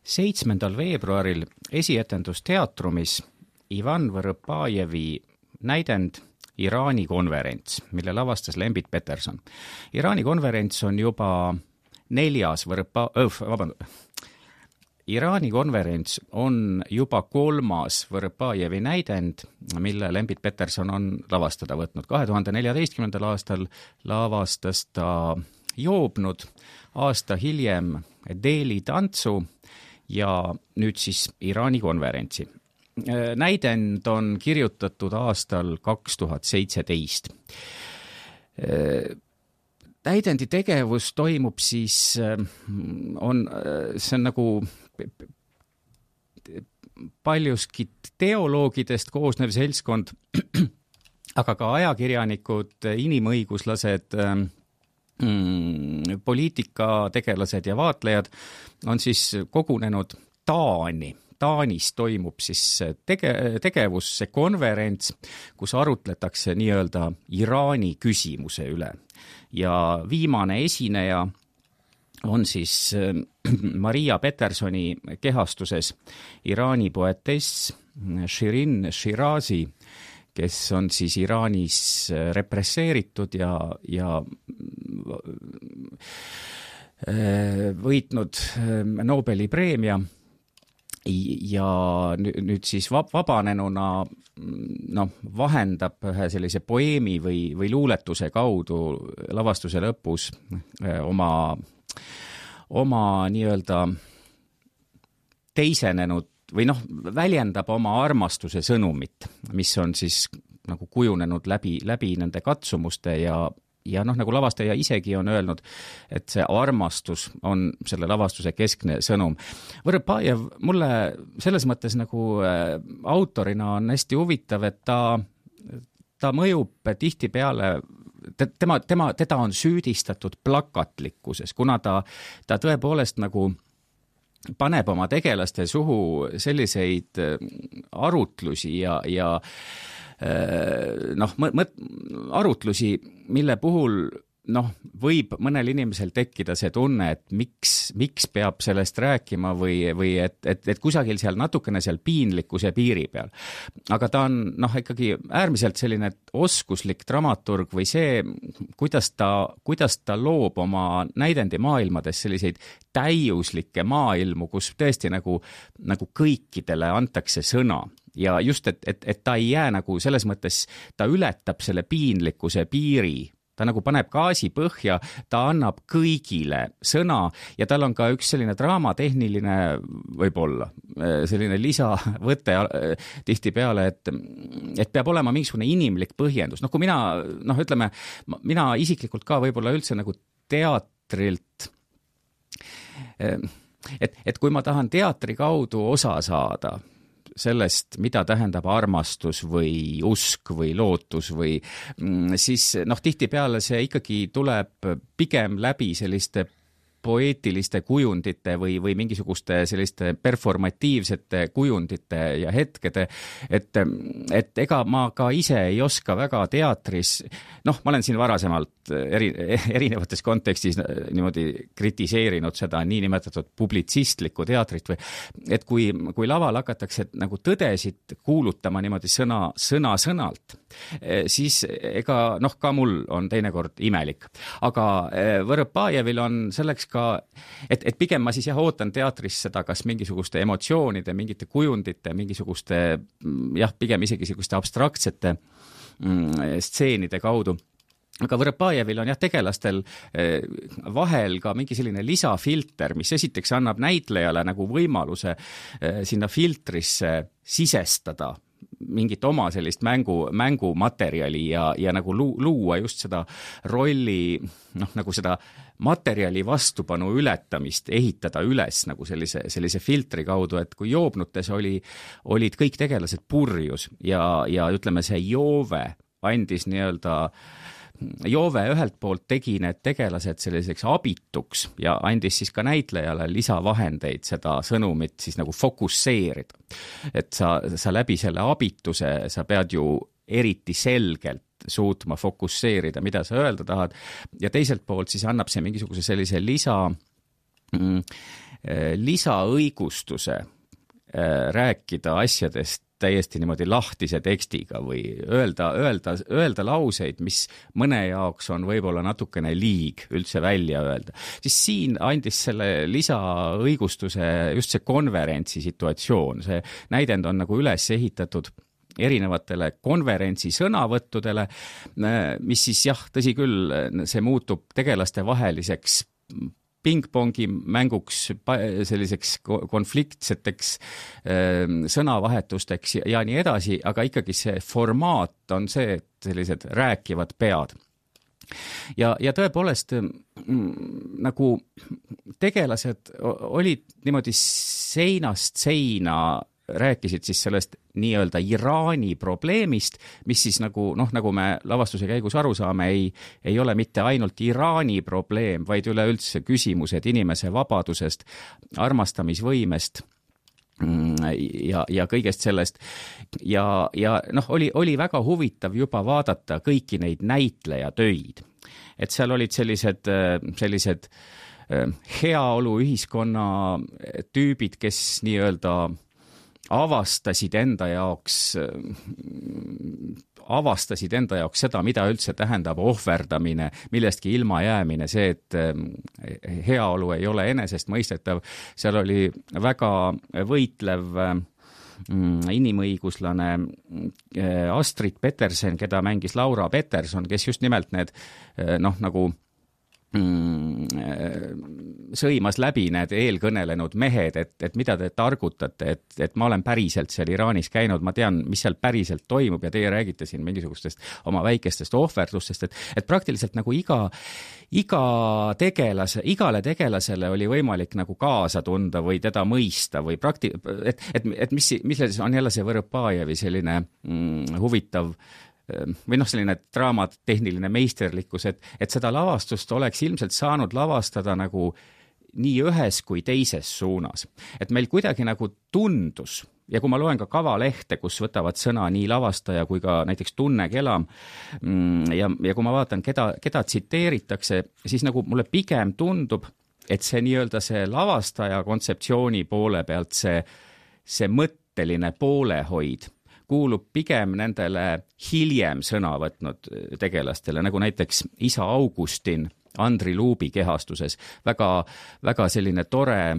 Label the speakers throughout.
Speaker 1: 7. veebruaril esietendus teatrumis Ivan Võrõpajevi näidend Iraani konverents, mille lavastas Lembit Peterson. Iraani konverents on juba 4. Iraani konverents on juba 3. Võrõpajevi näidend, mille Lembit Peterson on lavastada võtnud. 2014. aastal lavastas ta Joobnud, aasta hiljem Deli tantsu ja nüüd siis Iraani konverentsi. Näidend on kirjutatud aastal 2017. Näidendi tegevus toimub siis, see on nagu paljuski teoloogidest koosnev seltskond, aga ka ajakirjanikud, inimõiguslased, poliitikategelased ja vaatlejad on siis kogunenud Taanis toimub siis tegevus, see konverents, kus arutletakse nii-öelda Iraani küsimuse üle. Ja viimane esineja on siis Maria Petersoni kehastuses Iraani poetess Shirin Shirazi, kes on siis Iraanis represseeritud ja võitnud Nobeli preemia. Ja nüüd siis vabanenuna vahendab ühe sellise poeemi või luuletuse kaudu lavastuse lõpus oma nii-öelda teisenenud või väljendab oma armastuse sõnumit, mis on siis nagu kujunenud läbi nende katsumuste ja nagu lavastaja isegi on öelnud, et see armastus on selle lavastuse keskne sõnum. Võrõpajev mulle selles mõttes nagu autorina on hästi huvitav, et ta mõjub tihtipeale, teda on süüdistatud plakatlikkuses, kuna ta tõepoolest nagu paneb oma tegelaste suhu selliseid arutlusi ja arutlusi, mille puhul võib mõnel inimesel tekkida see tunne, et miks peab sellest rääkima või et kusagil seal natukene seal piinlikkuse piiri peal. Aga ta on ikkagi äärmiselt selline oskuslik dramaturg või see, kuidas ta loob oma näidendi maailmades selliseid täiuslikke maailmu, kus tõesti nagu kõikidele antakse sõna. Ja just, et ta ei jää nagu selles mõttes, ta ületab selle piinlikkuse piiri, ta nagu paneb gaasi põhja, ta annab kõigile sõna ja tal on ka üks selline draamatehniline võib-olla, selline lisavõte tihtipeale, et peab olema mingisugune inimlik põhjendus. Kui mina isiklikult ka võib-olla üldse nagu teatrilt, et kui ma tahan teatri kaudu osa saada, sellest, mida tähendab armastus või usk või lootus või siis tihtipeale see ikkagi tuleb pigem läbi selliste poeetiliste kujundite või mingisuguste selliste performatiivsete kujundite ja hetkede, et ega ma ka ise ei oska väga teatris, ma olen siin varasemalt erinevates kontekstis niimoodi kritiseerinud seda niinimetatud publitsistlikku teatrit või et kui laval hakatakse nagu tõdesid kuulutama niimoodi sõna-sõnalt, siis ega ka mul on teinekord imelik. Aga Võrõpajevil on selleks et pigem ma siis ootan teatris seda kas mingisuguste emotsioonide, mingite kujundite, mingisuguste pigem isegi selliseste abstraktsete stseenide kaudu. Aga Võrõpajevil on tegelastel vahel ka mingi selline lisafilter, mis esiteks annab näitlejale nagu võimaluse sinna filtrisse sisestada mingit oma sellist mängumaterjali ja nagu luua just seda rolli, nagu seda materjali vastupanu ületamist, ehitada üles nagu sellise filtri kaudu, et kui Joobnutes olid kõik tegelased purjus ja ütleme, see Joove andis Joove ühelt poolt tegi need tegelased selliseks abituks ja andis siis ka näitlejale lisavahendeid seda sõnumit siis nagu fokusseerida. Et sa läbi selle abituse, sa pead ju eriti selgelt suutma fokusseerida, mida sa öelda tahad ja teiselt poolt siis annab see mingisuguse sellise lisaõigustuse rääkida asjadest täiesti niimoodi lahtise tekstiga või öelda lauseid, mis mõne jaoks on võib-olla natukene liig üldse välja öelda. Siis siin andis selle lisaõigustuse just see konverentsi situatsioon. See näidend on nagu üles ehitatud erinevatele konverentsi sõnavõttudele, mis siis tõsi küll, see muutub tegelaste vaheliseks pingpongi mänguks, selliseks konfliktseteks sõnavahetusteks ja nii edasi, aga ikkagi see formaat on see, et sellised rääkivad pead. Ja tõepoolest nagu tegelased olid niimoodi seinast seina rääkisid siis sellest nii-öelda Iraani probleemist, mis siis nagu me lavastuse käigus aru saame, ei ole mitte ainult Iraani probleem, vaid üleüldse küsimused inimese vabadusest, armastamisvõimest ja kõigest sellest. Ja oli väga huvitav juba vaadata kõiki neid näitlejatöid. Et seal olid sellised heaolu ühiskonna tüübid, kes nii-öelda avastasid enda jaoks seda, mida üldse tähendab ohverdamine, millestki ilma jäämine, see, et heaolu ei ole enesestmõistetav. Seal oli väga võitlev inimõiguslane Astrid Peterson, keda mängis Laura Peterson, kes just nimelt need nagu sõimas läbi need eelkõnelenud mehed, et mida te targutate, et ma olen päriselt seal Iraanis käinud, ma tean, mis seal päriselt toimub ja teie räägite siin mingisugustest oma väikestest ohverdustest, et praktiliselt nagu igale tegelasele oli võimalik nagu kaasa tunda või teda mõista või et mis on jälle see Võrõpajevi selline huvitav või selline draamatehniline meisterlikkus, et seda lavastust oleks ilmselt saanud lavastada nagu nii ühes kui teises suunas. Et meil kuidagi nagu tundus, ja kui ma loen ka kavalehte, kus võtavad sõna nii lavastaja kui ka näiteks Tunne Kelam, ja kui ma vaatan, keda tsiteeritakse, siis nagu mulle pigem tundub, et see nii-öelda see lavastaja kontseptsiooni poole pealt see mõtteline poolehoid kuulub pigem nendele hiljem sõna võtnud tegelastele, nagu näiteks isa Augustin Andri Luubi kehastuses. Väga selline tore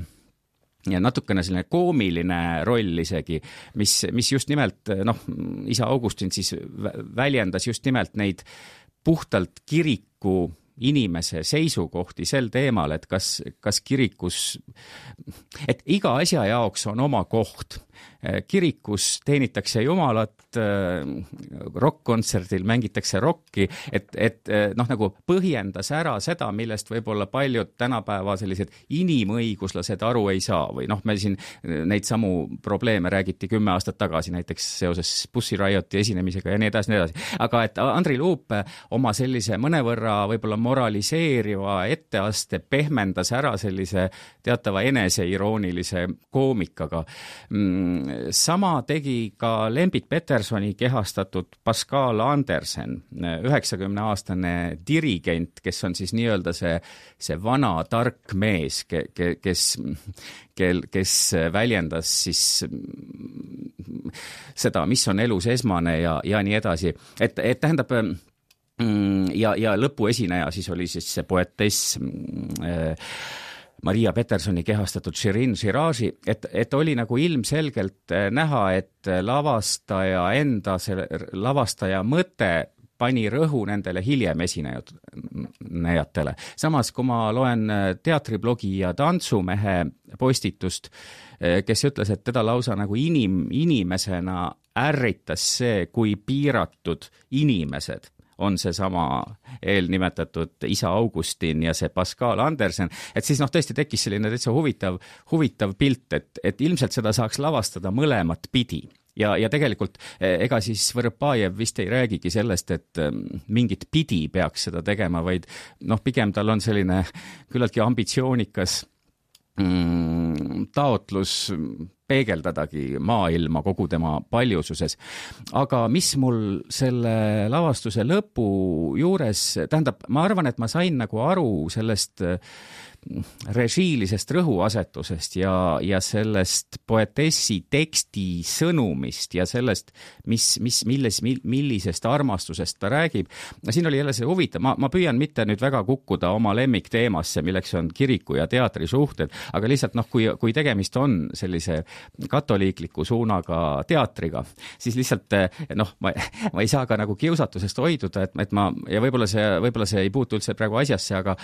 Speaker 1: ja natukene selline koomiline roll isegi, mis just nimelt, isa Augustin siis väljendas just nimelt neid puhtalt kiriku inimese seisukohti sel teemal, et kas kirikus, et iga asja jaoks on oma koht. Kirikus teenitakse Jumalat, rock-kontserdil mängitakse rocki, et nagu põhjendas ära seda, millest võib-olla paljud tänapäeva sellised inimõiguslased aru ei saa või me siin neid samu probleeme räägiti 10 aastat tagasi näiteks seoses Pussy Rioti esinemisega ja nii edasi. Aga et Andri Luup oma sellise mõnevõrra võib-olla moraliseeriva etteaste pehmendas ära sellise teatava eneseiroonilise koomikaga. Sama tegi ka Lembit Petersoni kehastatud Pascal Andersen, 90-aastane dirigent, kes on siis nii-öelda see vana tark mees, kes väljendas siis seda, mis on elus esmane ja nii edasi. Et tähendab, ja lõpuesineja siis oli siis see poetess Maria Petersoni kehastatud Shirin Shirazi, et oli nagu ilmselgelt näha, et lavastaja mõte pani rõhu nendele hiljem esinejatele. Samas, kui ma loen teatriblogi ja tantsumehe postitust, kes ütles, et teda lausa nagu inimesena ärritas see, kui piiratud inimesed on see sama eelnimetatud isa Augustin ja see Pascal Andersen, et siis tõesti tekkis selline täitsa huvitav pilt, et ilmselt seda saaks lavastada mõlemat pidi. Ja tegelikult ega siis Võrõpajev vist ei räägigi sellest, et mingit pidi peaks seda tegema, vaid pigem tal on selline küllaltki ambitsioonikas taotlus peegeldadagi maailma kogu tema paljususes. Aga mis mul selle lavastuse lõpu juures, tähendab, ma arvan, et ma sain nagu aru sellest režiilisest rõhuasetusest ja sellest poetessi teksti sõnumist ja sellest, millisest armastusest ta räägib. Siin oli jälle see huvitav, ma püüan mitte nüüd väga kukkuda oma lemmikteemasse, milleks on kiriku ja teatri suhted, aga lihtsalt kui tegemist on sellise katoliikliku suunaga teatriga, siis lihtsalt ma ei saa ka nagu kiusatusest hoiduda, et ma, ja võib-olla see ei puutu üldse praegu asjasse, aga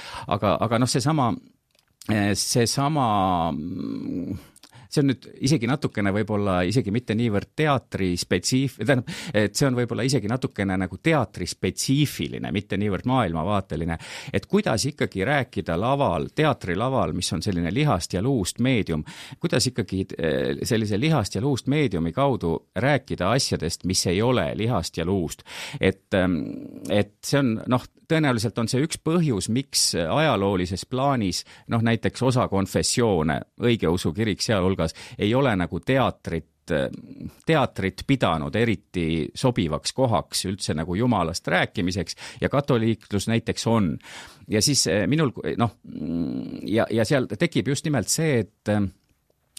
Speaker 1: see on nüüd isegi natukene võib-olla isegi mitte niivõrd teatri et see on võib-olla isegi natukene nagu teatri spetsiifiline, mitte niivõrd maailmavaateline, et kuidas ikkagi rääkida teatrilaval, mis on selline lihast ja luust meedium, kuidas ikkagi sellise lihast ja luust meediumi kaudu rääkida asjadest, mis ei ole lihast ja luust. Et see on, tõenäoliselt on see üks põhjus, miks ajaloolises plaanis, näiteks osa konfessioone, õigeusu kirik sealhulgas, ei ole nagu teatrit pidanud eriti sobivaks kohaks üldse nagu jumalast rääkimiseks ja katoliiklus näiteks on. Ja siis minul, ja seal tekib just nimelt see,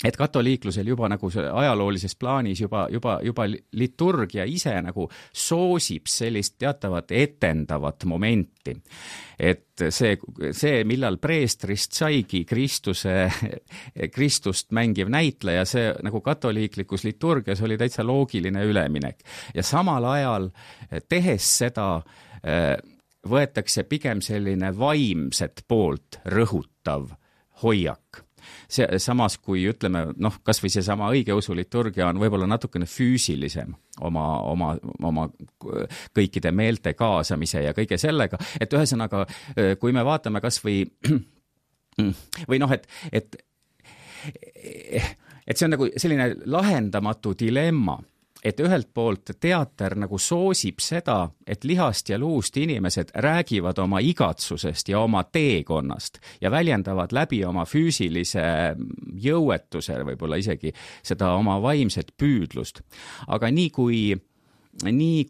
Speaker 1: et katoliiklusel juba nagu ajaloolises plaanis juba liturgia ise nagu soosib sellist teatavat etendavat momenti. Et see, millal preestrist saigi Kristust mängiv näitleja, see nagu katoliiklikus liturgias oli täitsa loogiline üleminek. Ja samal ajal tehes seda võetakse pigem selline vaimset poolt rõhutav hoiak. Samas kui ütleme, kas või see sama õigeusu liturgia on võib-olla natukene füüsilisem oma kõikide meelte kaasamise ja kõige sellega, et ühesõnaga, kui me vaatame kas või et see on nagu selline lahendamatu dilemma, et ühelt poolt teater nagu soosib seda, et lihast ja luust inimesed räägivad oma igatsusest ja oma teekonnast ja väljendavad läbi oma füüsilise jõuetuse, võib-olla isegi seda oma vaimset püüdlust. Aga nii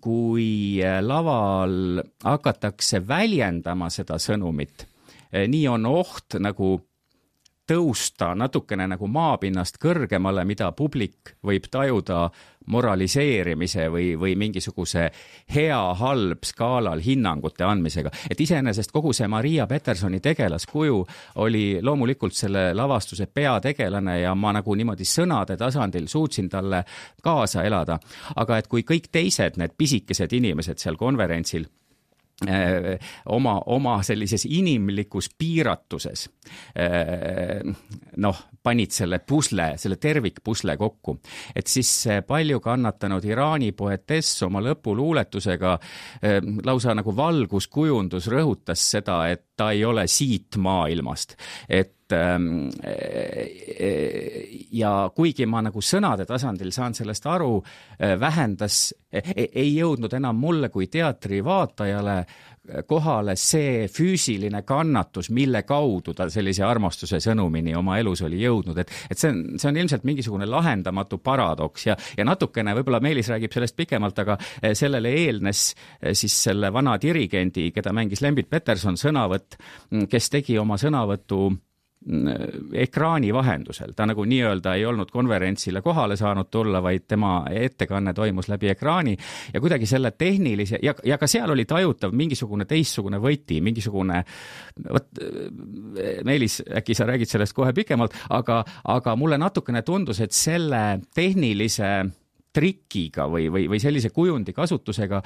Speaker 1: kui laval hakatakse väljendama seda sõnumit, nii on oht nagu tõusta natukene nagu maapinnast kõrgemale, mida publik võib tajuda moraliseerimise või mingisuguse hea-halb skaalal hinnangute andmisega. Et iseenesest kogu see Maria Petersoni tegelaskuju oli loomulikult selle lavastuse peategelane ja ma nagu niimoodi sõnade tasandil suutsin talle kaasa elada. Aga et kui kõik teised need pisikesed inimesed seal konverentsil oma sellises inimlikus piiratuses panid selle tervikpusle kokku, et siis palju kannatanud Iraani poetess oma lõpuluuletusega lausa nagu valguskujundus rõhutas seda, et ta ei ole siit maailmast, ja kuigi ma nagu sõnade tasandil saan sellest aru, ei jõudnud enam mulle kui teatri vaatajale kohale see füüsiline kannatus, mille kaudu ta sellise armastuse sõnumini oma elus oli jõudnud, et see on ilmselt mingisugune lahendamatu paradoks ja natukene, võib-olla Meelis räägib sellest pikemalt, aga sellele eelnes siis selle vana dirigendi, keda mängis Lembit Peterson sõnavõtt, kes tegi oma sõnavõtu ekraani vahendusel. Ta nagu nii-öelda ei olnud konverentsile kohale saanud tulla, vaid tema ettekanne toimus läbi ekraani ja kuidagi selle tehnilise, ja ka seal oli tajutav mingisugune teistsugune võti, mingisugune, Meelis, äkki sa räägid sellest kohe pikemalt, aga mulle natukene tundus, et selle tehnilise trikiga või sellise kujundi kasutusega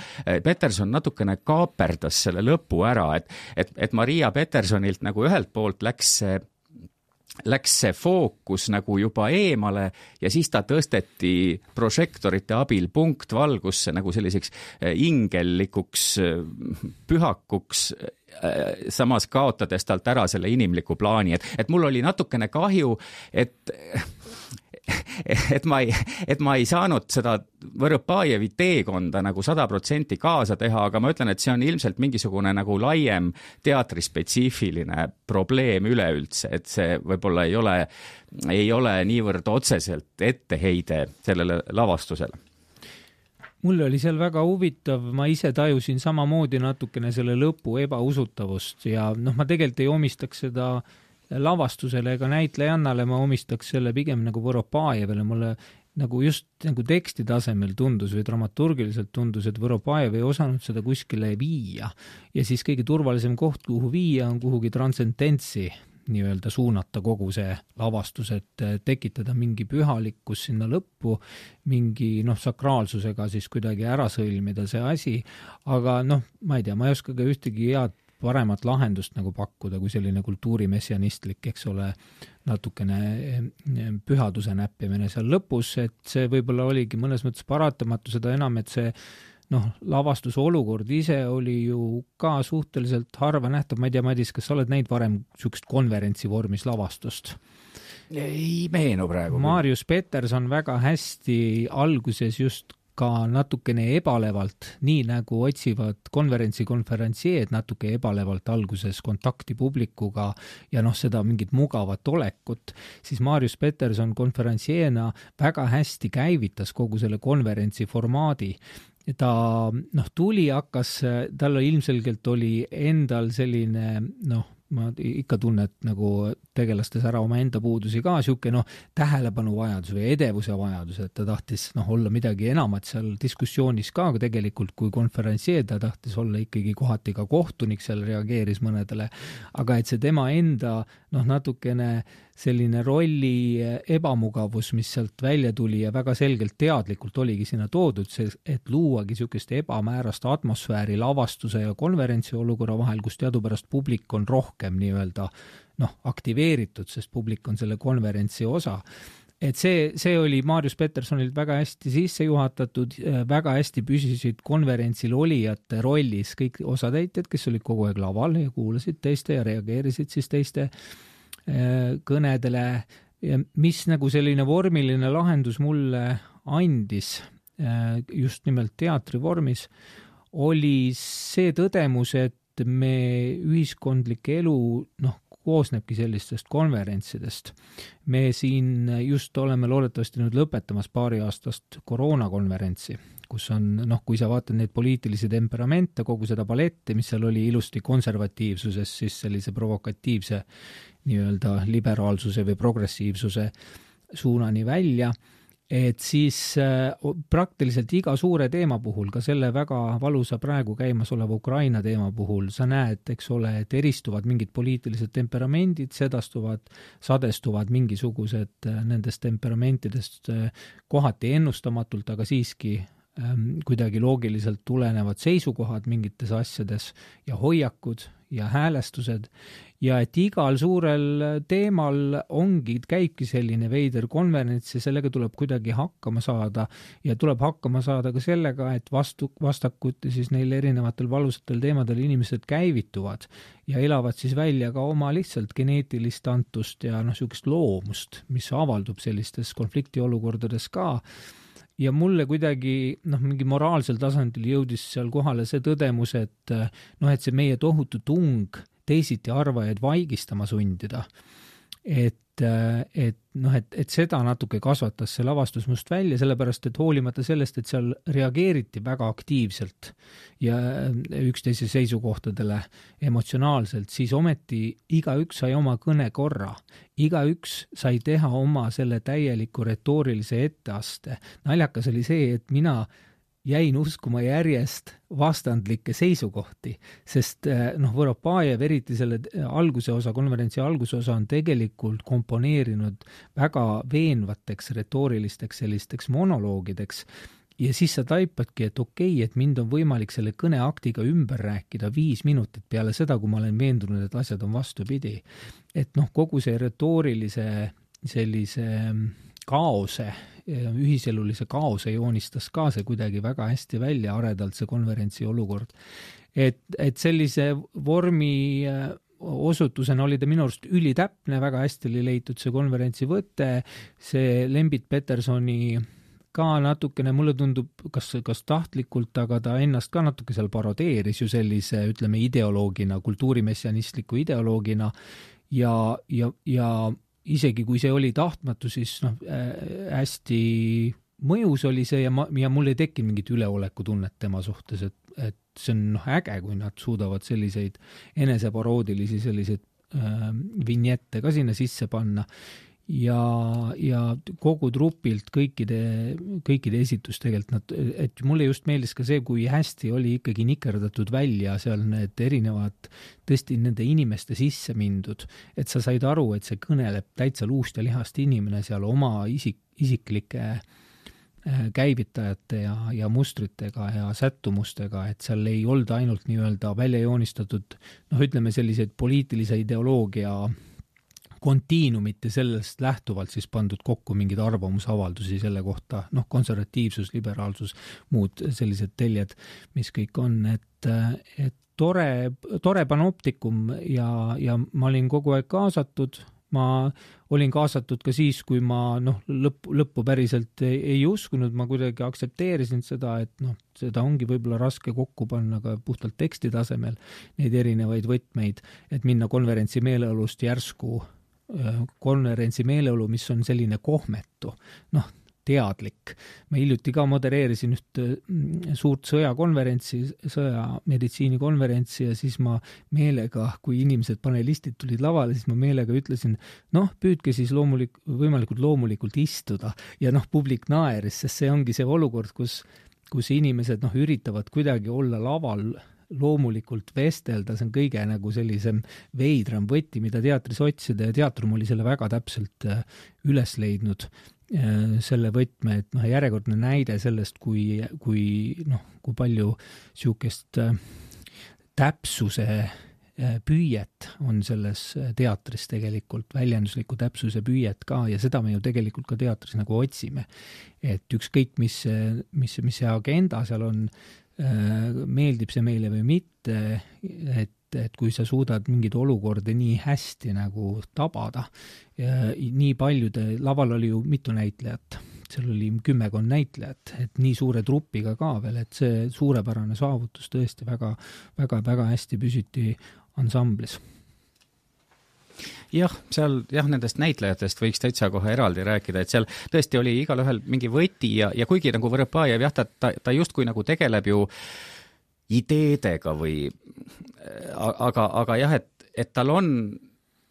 Speaker 1: Peterson natukene kaaperdas selle lõpu ära, et Maria Petersonilt nagu ühelt poolt läks see fookus nagu juba eemale ja siis ta tõsteti prožektorite abil punktvalgusse nagu selliseks ingellikuks pühakuks, samas kaotades talt ära selle inimliku plaani, et mul oli natukene kahju, et ma ei saanud seda Võrõpajevi teekonda nagu 100% kaasa teha, aga ma ütlen, et see on ilmselt mingisugune nagu laiem teatrispetsiifiline probleem üleüldse, et see võib-olla ei ole niivõrd otseselt etteheide sellele lavastusele.
Speaker 2: Mul oli seal väga huvitav, ma ise tajusin samamoodi natukene selle lõpu ebausutavust ja ma tegelikult ei omistaks seda lavastusele ega näitlejannale ma omistaks selle pigem nagu Voropajevile, mulle nagu just nagu teksti tasemel tundus või dramaturgiliselt tundus, et Voropajev ei osanud seda kuskile viia. Ja siis kõige turvalisem koht, kuhu viia, on kuhugi transcendentsi nii-öelda suunata kogu see lavastus, et tekitada mingi pühalikkus sinna lõppu, mingi sakraalsusega siis kuidagi ära sõlmida see asi, aga ma ei tea, ma ei oska ka ühtegi head paremat lahendust nagu pakkuda, kui selline kultuurimessianistlik, eks ole, natukene pühaduse näppimine seal lõpus, et see võib-olla oligi mõnes mõttes paratamatu, seda enam, et see lavastuse olukord ise oli ju ka suhteliselt harva nähtav. Ma ei tea, Madis, kas sa oled näinud varem sükst konverentsi vormis lavastust?
Speaker 1: Ei meenu praegu.
Speaker 2: Marius Peterson väga hästi alguses just ka natukene ebalevalt, nii nagu otsivad konverentsieed natuke ebalevalt alguses kontakti publikuga ja seda mingit mugavat olekut, siis Marius Peterson konverentsieena väga hästi käivitas kogu selle konverentsi formaadi. Ta tuli, hakkas, tal ilmselgelt oli endal selline, ma ikka tunnet nagu tegelastes ära oma enda puudusi ka, siuke tähelepanu vajadus või edevuse vajadus, et ta tahtis olla midagi enamat seal diskussioonis ka, aga tegelikult kui konverentsier ta tahtis olla ikkagi kohati ka kohtunik, seal reageeris mõnedele, aga et see tema enda natukene selline rolli ebamugavus, mis sealt välja tuli ja väga selgelt teadlikult oligi sinna toodud, et luuagi siukest ebamäärast atmosfääri lavastuse ja konverentsi olukorra vahel, kus teadupärast publik on rohkem nii-öelda aktiveeritud, sest publik on selle konverentsi osa. Et see oli Marius Petersonilt väga hästi sisse juhatatud, väga hästi püsisid konverentsil olijate rollis kõik osatäitjad, kes olid kogu aeg laval ja kuulasid teiste ja reageerisid siis teiste kõnedele, mis nagu selline vormiline lahendus mulle andis just nimelt teatri vormis, oli see tõdemus, et me ühiskondlik elu koosnebki sellistest konverentsidest. Me siin just oleme loodetavasti nüüd lõpetamas paari aastast koroonakonverentsi, kus on, kui sa vaatad neid poliitilisi temperamente, kogu seda paletti, mis seal oli ilusti konservatiivsuses, siis sellise provokatiivse nii-öelda liberaalsuse või progressiivsuse suunani välja, et siis praktiliselt iga suure teema puhul, ka selle väga valusa praegu käimas oleva Ukraina teema puhul, sa näed, eks ole, et eristuvad mingid poliitilised temperamendid, sadestuvad mingisugused nendest temperamentidest kohati ennustamatult, aga siiski kuidagi loogiliselt tulenevad seisukohad mingites asjades ja hoiakud ja häälestused ja et igal suurel teemal käibki selline veider konverents ja sellega tuleb kuidagi hakkama saada ja tuleb hakkama saada ka sellega, et vastakuti siis neil erinevatel valusatel teemadel inimesed käivituvad ja elavad siis välja ka oma lihtsalt geneetilist antust ja niisugust loomust, mis avaldub sellistes konfliktiolukordades ka. Ja mulle kuidagi mingi moraalsel tasandil jõudis seal kohale see tõdemus, et see meie tohutu tung teisiti arvajaid vaigistama sundida. Et seda natuke kasvatas see lavastus must välja, sellepärast, et hoolimata sellest, et seal reageeriti väga aktiivselt ja üksteise seisukohtadele emotsionaalselt, siis ometi igaüks sai oma kõne korra. Igaüks sai teha oma selle täieliku retoorilise etteaste. Naljakas oli see, et mina jäin uskuma järjest vastandlikke seisukohti, sest Voropajev, eriti selle konverentsi alguse osa on tegelikult komponeerinud väga veenvateks retoorilisteks sellisteks monoloogideks ja siis sa taipadki, et okei, et mind on võimalik selle kõneaktiga ümber rääkida 5 minutit peale seda, kui ma olen veendunud, et asjad on vastupidi. Et kogu see retoorilise sellise kaose, ühiselulise kaose joonistas ka see kuidagi väga hästi välja aredalt see konverentsi olukord. Et sellise vormi osutusena oli ta minu arust ülitäpne, väga hästi oli leitud see konverentsi võte, see Lembit Petersoni ka natukene, mulle tundub, kas tahtlikult, aga ta ennast ka natuke seal parodeeris ju sellise, ütleme, ideoloogina, kultuurimessianistliku ideoloogina ja isegi kui see oli tahtmatu, siis hästi mõjus oli see ja mul ei tekkinud mingit üleoleku tunnet tema suhtes, et see on äge, kui nad suudavad selliseid eneseparoodilisi selliseid vinjette ka sinna sisse panna ja kogu trupilt kõikide esitus tegelikult et mulle just meeldis ka see, kui hästi oli ikkagi nikerdatud välja seal need erinevad tõesti nende inimeste sisse mindud, et sa said aru, et see kõneleb täitsa luust ja lihast inimene seal oma isiklike käivitajate ja mustritega ja sättumustega, et seal ei olnud ainult nii-öelda välja joonistatud, ütleme selliseid poliitilise ideoloogia kontiinumit ja sellest lähtuvalt siis pandud kokku mingeid arvamusavaldusi selle kohta, konservatiivsus, liberaalsus, muud sellised teljed, mis kõik on, et tore panoptikum ja ma olin kogu aeg kaasatud, ma olin kaasatud ka siis, kui ma lõppu päriselt ei uskunud, ma kuidagi aktsepteerisin seda, et seda ongi võib-olla raske kokku panna ka puhtalt teksti tasemel neid erinevaid võtmeid, et minna konverentsi meeleolust järsku konverentsi meeleolu, mis on selline kohmetu, teadlik. Ma hiljuti ka modereerisin üht suurt sõjakonverentsi, sõjameditsiinikonverentsi ja siis ma meelega, kui inimesed panelistid tulid lavale, siis ma meelega ütlesin, püüdke siis võimalikult loomulikult istuda ja publik naeris, sest see ongi see olukord, kus inimesed üritavad kuidagi olla laval loomulikult vestelda, see on kõige sellisem veidram võti, mida teatris otsida ja teatrum oli selle väga täpselt üles leidnud selle võtme, et järjekordne näide sellest, kui palju siukest täpsuse püüet on selles teatris tegelikult, väljendusliku täpsuse püüet ka ja seda me ju tegelikult ka teatris otsime. Et ükskõik, mis see agenda seal on, meeldib see meile või mitte, et kui sa suudad mingid olukordi nii hästi tabada, nii paljude, laval oli ju mitu näitlejat, seal oli 10 näitlejat, et nii suure trupiga ka veel, et see suurepärane saavutus tõesti väga, väga, väga hästi püsiti ansamblis.
Speaker 1: Jah, seal nendest näitlejatest võiks täitsa kohe eraldi rääkida, et seal tõesti oli igalühel mingi võti ja kuigi Võrõpajev ta justkui tegeleb ju ideedega või aga jah, et tal on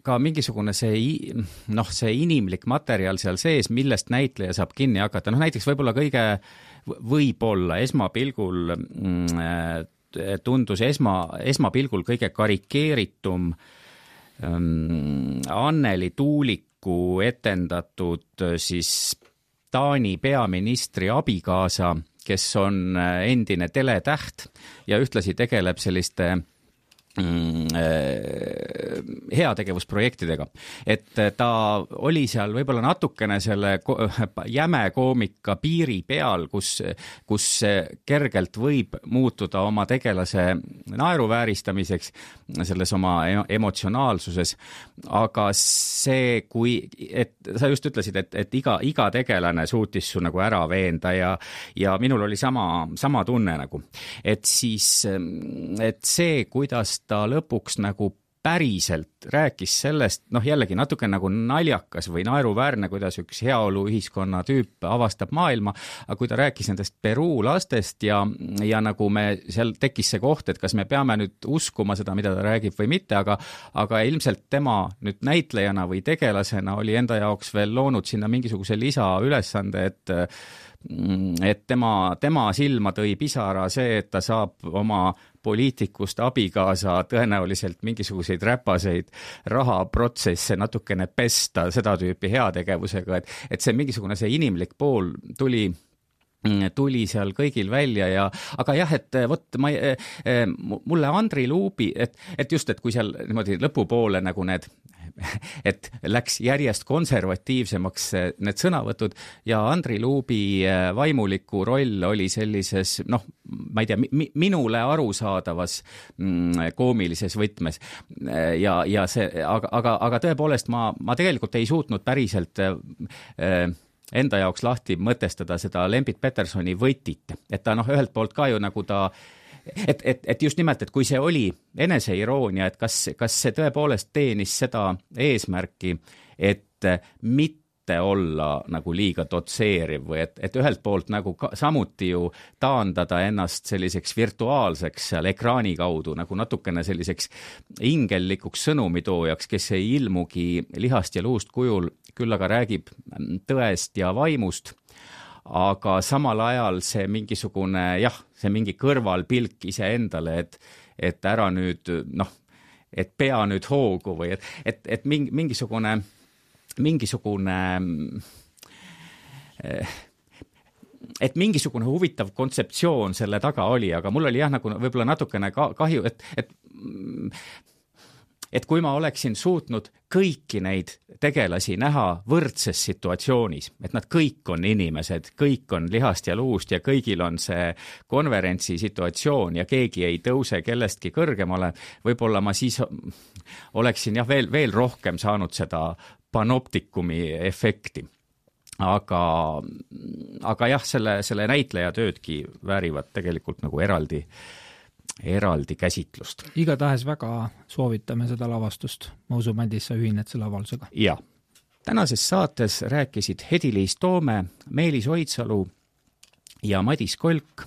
Speaker 1: ka mingisugune see inimlik materjal seal sees, millest näitleja saab kinni hakata. Näiteks võib-olla esmapilgul tundus esmapilgul kõige karikeeritum Anneli Tuuliku etendatud siis Taani peaministri abikaasa, kes on endine teletäht ja ühtlasi tegeleb selliste heategevusprojektidega. Et ta oli seal võib-olla natukene selle jäme koomika piiri peal, kus kergelt võib muutuda oma tegelase naeruvääristamiseks selles oma emotsionaalsuses. Aga see, et sa just ütlesid, et iga tegelane suutis su ära veenda ja minul oli sama tunne et siis, et see, kuidas ta lõpuks päriselt rääkis sellest, jällegi natuke naljakas või naeruväärne, kuidas üks heaoluühiskonna tüüp avastab maailma, aga kui ta rääkis nendest Peruu lastest ja me seal tekkis see koht, et kas me peame nüüd uskuma seda, mida ta räägib või mitte, aga ilmselt tema nüüd näitlejana või tegelasena oli enda jaoks veel loonud sinna mingisuguse lisaülesande, et tema silma tõi pisara see, et ta saab oma poliitikust abikaasa tõenäoliselt mingisuguseid räpaseid rahaprotsesse natukene pesta seda tüüpi heategevusega, et see mingisugune see inimlik pool tuli seal kõigil välja aga jah, et mulle Andri Luubi, et just, et kui seal niimoodi lõpupoole et läks järjest konservatiivsemaks need sõnavõtud ja Andri Luubi vaimuliku roll oli sellises, ma ei tea, minule arusaadavas koomilises võtmes ja see, aga tõepoolest ma tegelikult ei suutnud päriselt enda jaoks lahti mõtestada seda Lembit Petersoni võtit, et ta ühelt poolt ka ju ta et just nimelt, et kui see oli eneseiroonia, et kas see tõepoolest teenis seda eesmärki, et mitte mitte olla nagu liiga dotseeriv või et ühelt poolt nagu samuti ju taandada ennast selliseks virtuaalseks seal ekraani kaudu nagu natukene selliseks ingellikuks sõnumitoojaks, kes ei ilmugi lihast ja luust kujul, küll aga räägib tõest ja vaimust, aga samal ajal see mingisugune, see mingi kõrvalpilk iseendale, et ära nüüd, et pea nüüd hoogu või et mingisugune et mingisugune huvitav kontseptsioon selle taga oli, aga mul oli nagu võib-olla natukene kahju, et kui ma oleksin suutnud kõiki neid tegelasi näha võrdses situatsioonis, et nad kõik on inimesed, kõik on lihast ja luust ja kõigil on see konverentsi situatsioon ja keegi ei tõuse kellestki kõrgemale, võib-olla ma siis oleksin veel rohkem saanud seda panoptikumi efekti. Aga jah, selle näitleja töödki väärivad tegelikult nagu eraldi käsitlust.
Speaker 2: Igatahes väga soovitame seda lavastust. Ma usun, Madis, sa ühined selle avalusega.
Speaker 1: Ja. Tänases saates rääkisid Hedi-Liis Toome, Meelis Oidsalu ja Madis Kolk,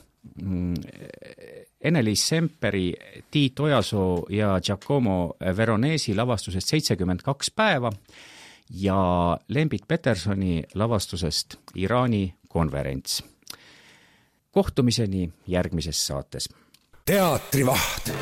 Speaker 1: Ene-Liis Semperi, Tiit Ojasoo ja Giacomo Veronesi lavastusest 72 päeva ja Lembit Petersoni lavastusest Iraani konverents. Kohtumiseni järgmises saates.
Speaker 3: Teatrivaht.